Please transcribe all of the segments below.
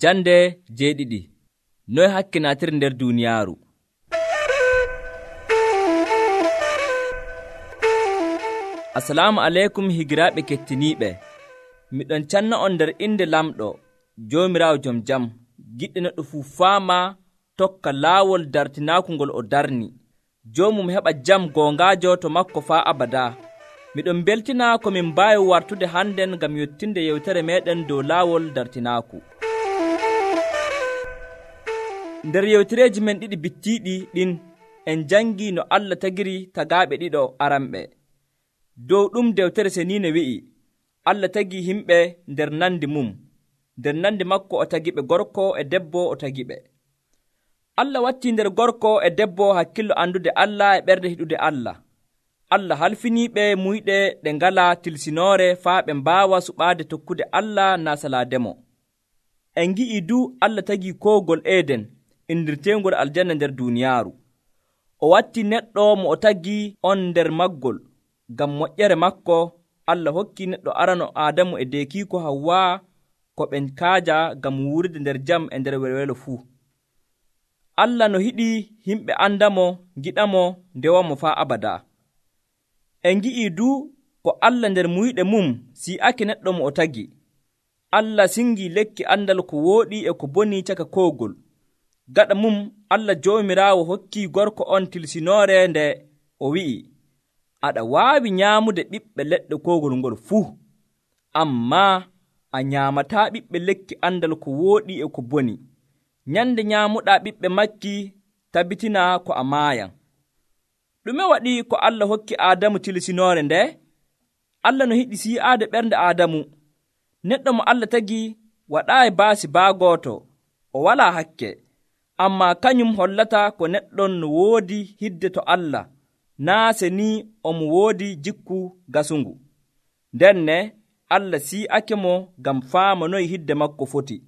Jande jeeɗiɗi. Noy hakkinaatir nder duuniyaaru. Assalamu aleykum higiraaɓe kettiniiɓe. Miɗon canna on nder inde lamɗo Joomiraawo jom jam, giɗɗo neɗɗo fuu faama tokka laawol dartinaaku ngol o darni. Joomum heɓa jam goongaajo to makko faa abadaa. Miɗon beltina ko min mbaawi wartude hannden ngam yottinde yewtere meeɗen dow laawol dartinaaku. Nder yewtereeji men ɗiɗi bittiiɗi ɗin en jangii no Allah tagiri tagaaɓe ɗiɗo aranɓe. Dow ɗum dewtere seniine wi'i Allah tagii himɓe nder nandi mum. Nder nandi makko o tagiɓe gorko e debbo o tagiɓe. Allah wattii nder gorko e debbo hakkillo andude Allah e ɓernde hiɗude Allah. Allah halfiniiɓe muyɗe ɗe ngalaa tilsinoore faa ɓe mbaawa suɓaade tokkude Allah naa salaademo. En ngi'ii du Allah tagii koogol Eden indirteengol aljanna nder duuniyaaru. O wattii neɗɗo mo o tagii on nder maggol. Ngam moƴƴere makko Allah hokkii neɗɗo arano Aadamu e deekiiko Hawwa ko ɓe kaaja ngam wuurde nder jam e nder welwelo fuu. Allah no hiɗi himɓe andamo, giɗamo, ndewamo faa abadaa. En ngi'ii du ko Allah nder muyɗe mum si'ake neɗɗo mo o tagi. Allah singii lekki andal ko wooɗi e ko boni caka koogol. Gaɗa mum Allah Joomiraawo hokkii gorko on tilsinoore nde o wi'i, aɗa waawi nyaamude ɓiɓɓe leɗɗe koogol ngol fuu, ammaa a nyaamataa ɓiɓɓe lekki andal ko wooɗi e ko boni. Nyande nyaamuɗaa ɓiɓɓe makki tabitina ko a maayan. Ɗume waɗi ko Allah hokki Aadamu tilsinoore nde? Allah no hiɗi si'aade ɓernde Aadamu. Neɗɗo mo Allah tagi waɗaayi baasi baagooto, o walaa hakke, ammaa kañum hollata ko neɗɗon no woodi hidde to Allah, naa seni omo woodi jikku gasungu. Ndenne Allah si'ake mo ngam faama noy hidde makko foti.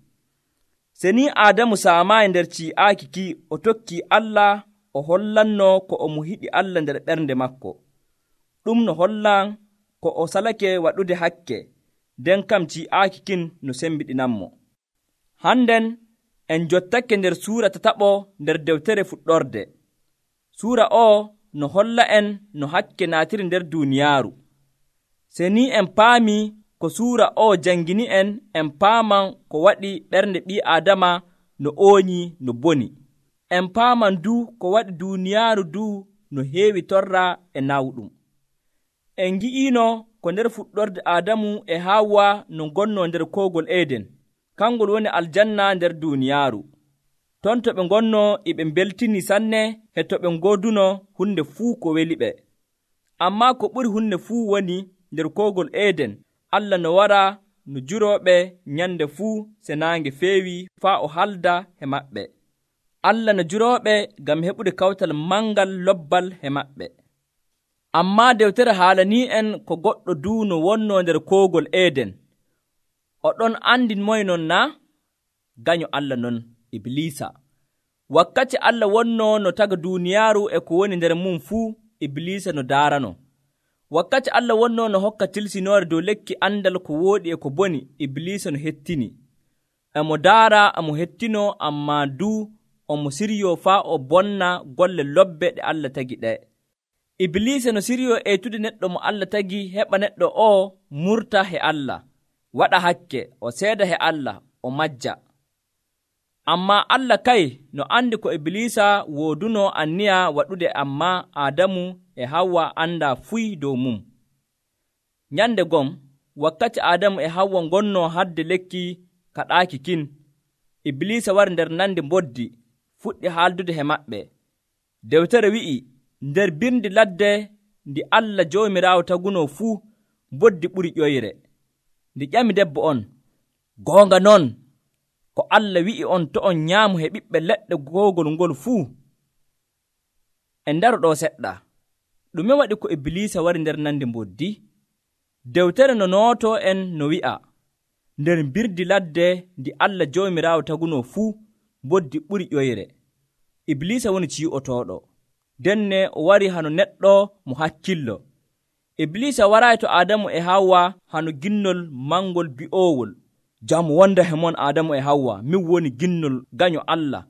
Seni Aadamu saamaayi nder ci'aaki ki o tokkii Allah, o hollanno ko omo hiɗi Allah nder ɓernde makko. Ɗum no hollan ko o salake waɗude hakke, nden kam ci'aaki kin no sembiɗinanmo. Hannden en jottake nder suura tataɓo nder dewtere fuɗɗorde. Suura o no holla en no hakke naatiri nder duuniyaaru. Seni en paami ko suura o jangini en paaman ko waɗi ɓernde ɓii Aadama no ooñi no boni. En paaman du ko waɗi duuniyaaru du no heewi torra e nawɗum. En ngi'iino ko nder fuɗɗorde Aadamu e Hawwa no ngonnoo nder koogol Eden, kangol woni aljanna nder duuniyaaru. Ton to ɓe ngonnoo e ɓe mbeltini sanne e to ɓe ngooduno hunde fuu ko weli ɓe. Ammaa ko ɓuri hunde fuu woni nder koogol Eden, Allah no wara no jurooɓe nyande fuu se naange feewi faa o halda he maɓɓe. Allah no jurooɓe ngam heɓude kawtal mangal lobbal he maɓɓe. Ammaa dewtere haalanii en ko goɗɗo du no wonnoo nder koogol Eden. O ɗon andi moy non naa? Gaño Allah non, Iblisa. Wakkati Allah wonnoo no taga duuniyaaru e ko woni nder mum fuu, Iblisa no daarano. Wakkati Allah wonnoo no hokka tilsinoore dow lekki andal ko wooɗi e ko boni, Iblisa no hettini. Emo daara, emo hettino, ammaa du omo siryo faa o bonna golle lobbe ɗe Allah tagi ɗe. Iblisa no siryo etude neɗɗo mo Allah tagi heɓa neɗɗo o murta he Allah, waɗa hakke, o seeda he Allah, o majja. Ammaa Allah kay no andi ko Iblisa wooduno anniya waɗude, ammaa Aadamu e Hawwa anda fuy dow mum. Nyande gom, wakkati Aadamu e Hawwa ngonnoo hadde lekki kaɗaaki kin, Iblisa wari nder nandi mboddi, fuɗɗi haaldude he maɓɓe. Dewtere wi'i, nder birndi ladde ndi Allah Joomiraawo tagunoo fuu, mboddi ɓuri ƴoyre. Ndi ƴami debbo on, goonga non, ko Allah wi'i on to on nyaamu he ɓiɓɓe leɗɗe koogol ngol fuu. En ndaro ɗo seɗɗa. Ɗume waɗi ko Iblisa wari nder nandi mboddi? Dewtere no nooto en no wi'a, nder birdi ladde ndi Allah Joomiraawo tagunoo fuu, mboddi ɓuri ƴoyre. Iblisa woni cii'otooɗo. Denne o wari hano neɗɗo mo hakkillo. Iblisa waraayi to Aadamu e Hawwa hano ginnol mangol bi'oowol. Jam wonda he mon Adamu e Hawwa, min woni ginnol gaño Allah.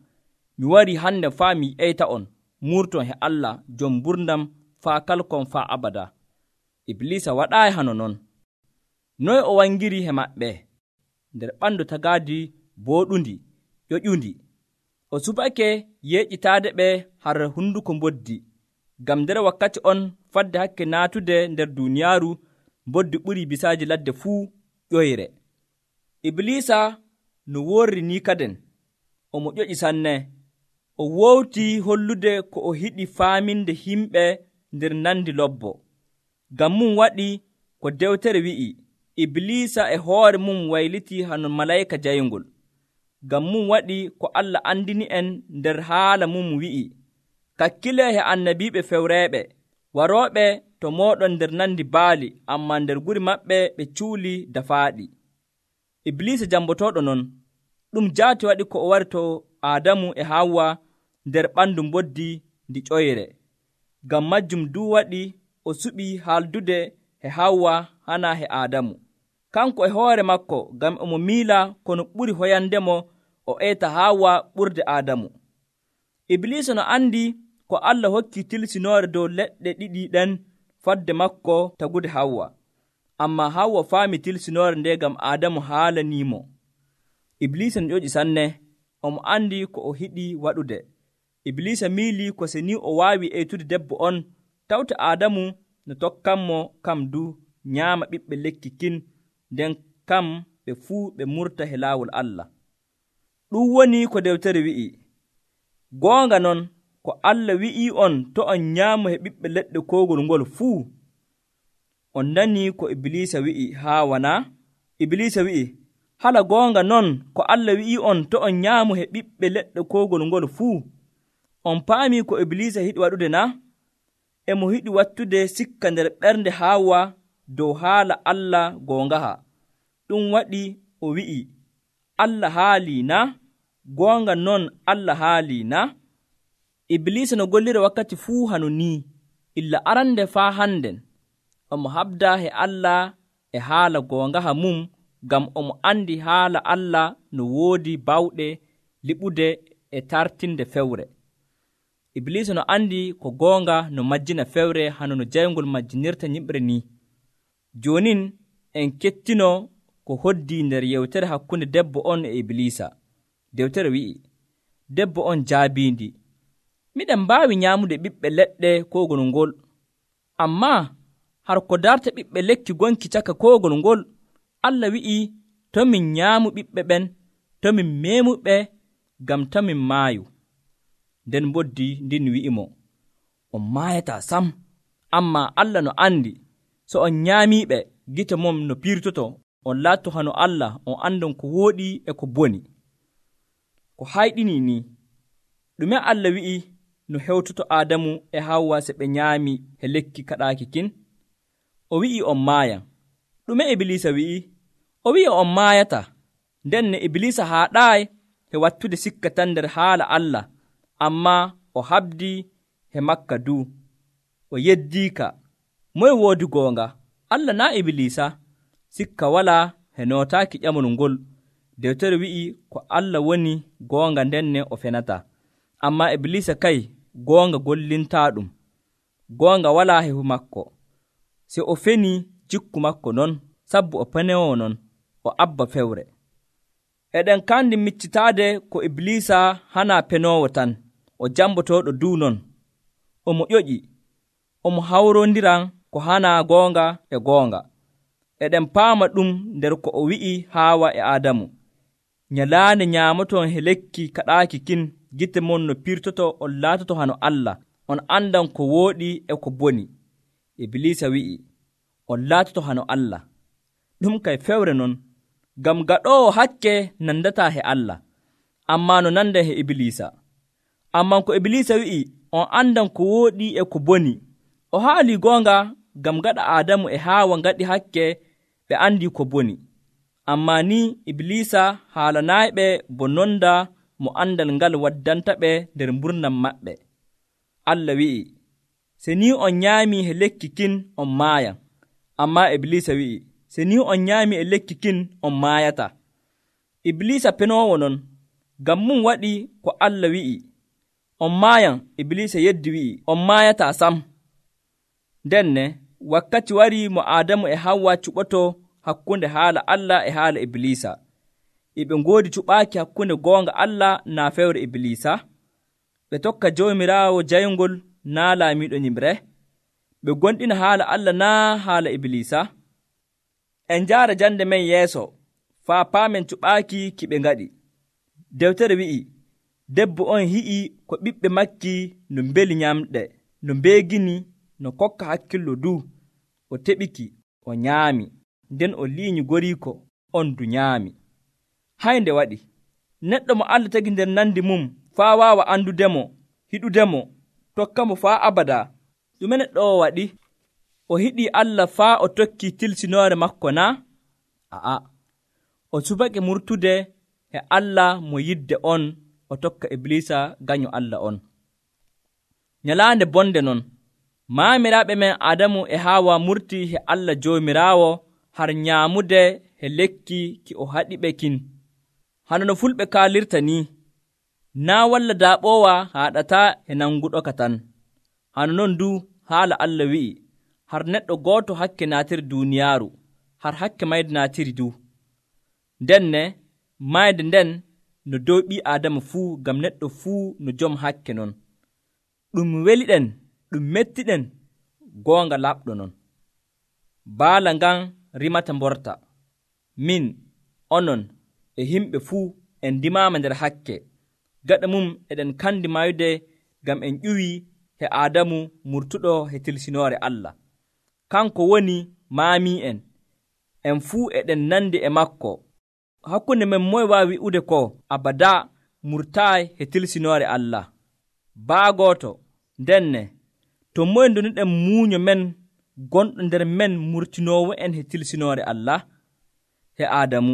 Mi wari hande faa mi ƴeyta on murton he Allah jom burdam faa kalkon faa abada. Iblisa waɗaayi hano non. Noy o wangiri he maɓɓe nder ɓandu tagaadi booɗundi ƴoƴundi. O subake yeƴƴitaade ɓe har hunduko mboddi, ngam nder wakkati on fadde hakke naatude nder duuniyaaru mboddi ɓuri bisaaji ladde fuu ƴoyre. Iblisa no worri ni kaden omo ƴoƴi sanne. O wowti hollude ko o hiɗi faaminde himɓe nder nandi lobbo. Ngam mum waɗi ko dewtere wi'i, Iblisa e hoore mum wayliti hano malayika jayngol. Ngam mum waɗi ko Allah andini en nder haala mum wi'i, kakkile he annabiiɓe fewreeɓe warooɓe to mooɗon nder nandi baali, amma nder guri maɓɓe ɓe cuuli dafaaɗi. Iblisa jambotooɗo non, ɗum jaati waɗi ko o wari to Adamu e Hawwa nder ɓandu mboddi ndi ƴoyre. Ngam majjum du waɗi o suɓi haaldude he Hawwa hana he Adamu. Kanko e hoore makko, ngam omo miila kono ɓuri hoyandemo o eeta Hawwa ɓurde Adamu. Iblisa no andi ko Allah hokki tilsinoore dow leɗɗe ɗiɗi ɗen fadde makko tagude Hawwa. Amma Hawwa faami tilsinoore nde ngam Adamu haalanimo. Iblisa no ƴoƴi sanne, omo andi ko o hiɗi waɗude. Iblisa miili ko seni o waawi eytude debbo on, tawta Adamu no tokkanmo kam du nyaama ɓiɓɓe lekki kin, nden kam ɓe fuu ɓe murta he laawol Allah. Ɗum woni ko dewtere wi'i. Goonga non, ko Allah wi'i on to on nyaamu he ɓiɓɓe leɗɗe koogol ngol fuu. On nani ko Iblisa wi'i haa wana? Iblisa wi'i, hala goonga non ko Allah wi'i on to on nyaamu he ɓiɓɓe leɗɗe koogol ngol fuu. On paami ko Iblisa hiɗi waɗude na? Emo hiɗi wattude sikka nder ɓernde Hawwa dow haala Allah goongaha. Ɗum waɗi o wi'i, Allah haalii na? Goonga non Allah haalii na? Iblisa no gollira wakkati fuu hano ni, illa arande faa hannden. Omo habda he Allah e haala goongaha mum, ngam omo andi haala Allah no woodi bawɗe liɓude e tartinde fewre. Iblisa no andi ko goonga no majjina fewre hano no jayngol majjinirta nyiɓre ni. Jonin en kettino ko hoddi nder yewtere hakkunde debbo on e Iblisa. Dewtere wi'i, debbo on jaabiindi, miɗen mbaawi nyaamude ɓiɓɓe leɗɗe koogol ngol, amma har ko darta ɓiɓɓe lekki gonki caka koogol ngol, Allah wi'i to min nyaamu ɓiɓɓe ɓen, to min meemuɓe, ngam to min maayu. Nden mboddi ndin wi'imo, on maayataa sam, amma Allah no andi, so on nyaamiiɓe, gite mom no piirtoto, on laatto hano Allah, on andon ko wooɗi e ko boni. Ko hayɗini ni, ɗume Allah wi'i no hewtoto Adamu e Hawwa se ɓe nyaami he lekki kaɗaaki kin? O wi'i on maayan. Ɗume Iblisa wi'i? O wi'i on maayata. Nden ne Iblisa haaɗaayi he wattude sikka tan nder haala Allah, amma o habdi he makka du. O yeddiika. Moye woodi goonga? Allah naa Iblisa? Sikka walaa he nootaaki ƴamol ngol. Dewtere wi'i ko Allah woni goonga, nden ne o fenata. Amma Iblisa kay goonga gollintaa ɗum. Goonga walaa he makko. Se o feni jikku makko non, sabbu o penewo non, o abba fewre. Eɗen kandi miccitaade ko Iblisa hana penowo tan, o jambotooɗo du non. Omo ƴoƴi, omo hawrondiran ko hana goonga e goonga. Eɗen paama ɗum nder ko o wi'i Haawa e Adamu. Nyalaande nyaamoton he lekki kaɗaaki kin, gite mon no pirtoto, on laatoto hano Allah, on andan ko wooɗi e ko boni. Iblisa wi'i, on laatoto hano Allah. Ɗum kay fewre non, ngam gaɗoowo hakke nandataa he Allah, amma no nanda he Iblisa. Amma ko Iblisa wi'i, on andan ko wooɗi e ko boni. O haali goonga, ngam gaɗa Adamu e Haawa ngaɗi hakke ɓe andi ko boni. Amma ni Iblisa haalanaaɓe bo nonda mo andal ngal waddanta ɓe nder mburnam maɓɓe. Allah wi'i, se ni on nyaami he lekki kin on maayan. Amma Iblisa wi'i, se ni on nyaami e lekki kin on maayata. Iblisa penoowo non, ngam mum waɗi ko Allah wi'i, on maayan. Iblisa yeddi wi'i, on maayataa sam. Ndenne wakkati warii mo Aadamu e Hawwa cuɓotoo hakkunde haala Allah e haala Iblisa. E ɓe ngoodi cuɓaaki hakkunde goonga Allah naa fewre Iblisa. Ɓe tokka Joomiraawo jayngol naa laamiiɗo nyimre. Ɓe gonɗina haala Allah naa haala Iblisa. En njaara jande men yeeso faa paamen cuɓaaki ki ɓe ngaɗi. Dewtere wi'i, debbo on hi'i ko ɓiɓɓe makki no mbeli nyamɗe, no mbeegini, no kokka hakkillo du. O teɓiki, o nyaami, nden o liiñi goriiko on du nyaami. Haynde waɗi, neɗɗo mo Allah tagi nder nandi mum faa waawa andudemo, hiɗudemo, tokkamo faa abada. Ɗume neɗɗo o waɗi? O hiɗii Allah faa o tokkii tilsinoore makko naa? A'a, o subake murtude e Allah mo yidde on, o tokka Iblisa gaño Allah on. Nyalaande bonde non, maamiraaɓe men Adamu e Haawa murtii he Allah Joomiraawo har nyaamude he lekki ki o haɗiɓe kin. Hano no fulɓe kaalirta ni, naa walla daaɓoowa haaɗataa he nanguɗo ka tan. Hano non du haala Allah wi'i, har neɗɗo gooto hakke naatiri duuniyaaru, har hakke mayde naatiri du. Ndenne mayde nden no dow ɓii Aadama fuu, ngam neɗɗo fuu no jom hakke non. Ɗum weliɗen, ɗum mettiɗen, goonga laɓɗo non. Baala ngan rimata mborta. Min, onon, e himɓe fuu en ndimaama nder hakke. Gaɗa mum eɗen kandi mayde ngam en ƴuwii he Aadamu murtuɗo he tilsinoore Allah. Kanko woni maami'en. En fuu eɗen nandi e makko. Hakkunde men moye waawi wi'ude ko abada murtaayi he tilsinoore Allah? Baa gooto. Ndenne to moye ndoniɗen muuño men gonɗo nder men murtinoowo en he tilsinoore Allah? He Aadamu.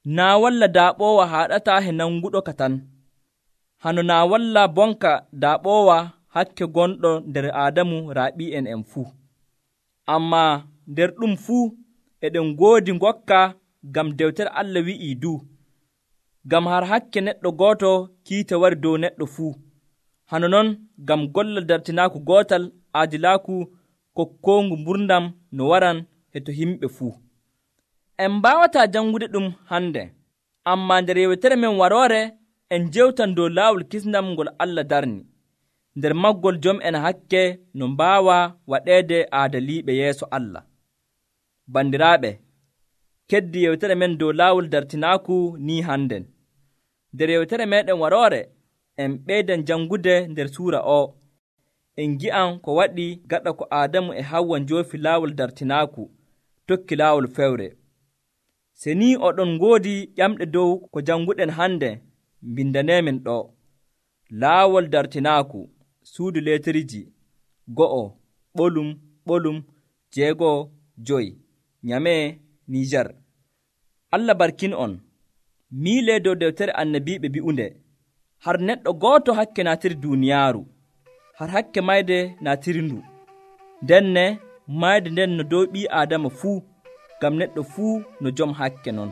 Naa walla daaɓoowa haaɗataa he nanguɗo ka tan. Hano naa walla bonka daaɓoowa hakke gonɗo nder Aadamu raaɓi'en en fuu. Ammaa nder ɗum fuu eɗen ngoodi ngokka, ngam dewtere Allah wi'ii du, ngam har hakke neɗɗo gooto kiita wari dow neɗɗo fuu. Hano non ngam gollal dartinaaku gootal aadilaaku kokkoongu mburdam no waran he to himɓe fuu. En mbaawataa jangude ɗum hannde, ammaa nder yewtere men waroore en jewtan dow laawol kisndam ngol Allah darni. Nder maggol jom en hakke no mbaawa waɗeede aadaliiɓe yeeso Allah. Bandiraaɓe, keddi yewtere men dow laawol dartinaaku ni hannden. Nder yewtere meɗen waroore en ɓeydan jangude nder suura o. En gi'an ko waɗi gaɗa ko Aadamu e Hawwa njoofi laawol dartinaaku tokki laawol fewre. Se ni oɗon ngoodi ƴamɗe dow ko janguɗen hannde, mbindaneemen ɗo. Laawol dartinaaku, suudu leetariji 1 ɓolum 6 Nyame, Nijar. Allah barkin on. Miilee dow dewtere annabiiɓe bi'unde, har neɗɗo gooto hakke naatiri duuniyaaru, har hakke mayde naatiri ndu. Ndenne mayde nden no dow ɓii Aadama fuu, ngam neɗɗo fuu no jom hakke non.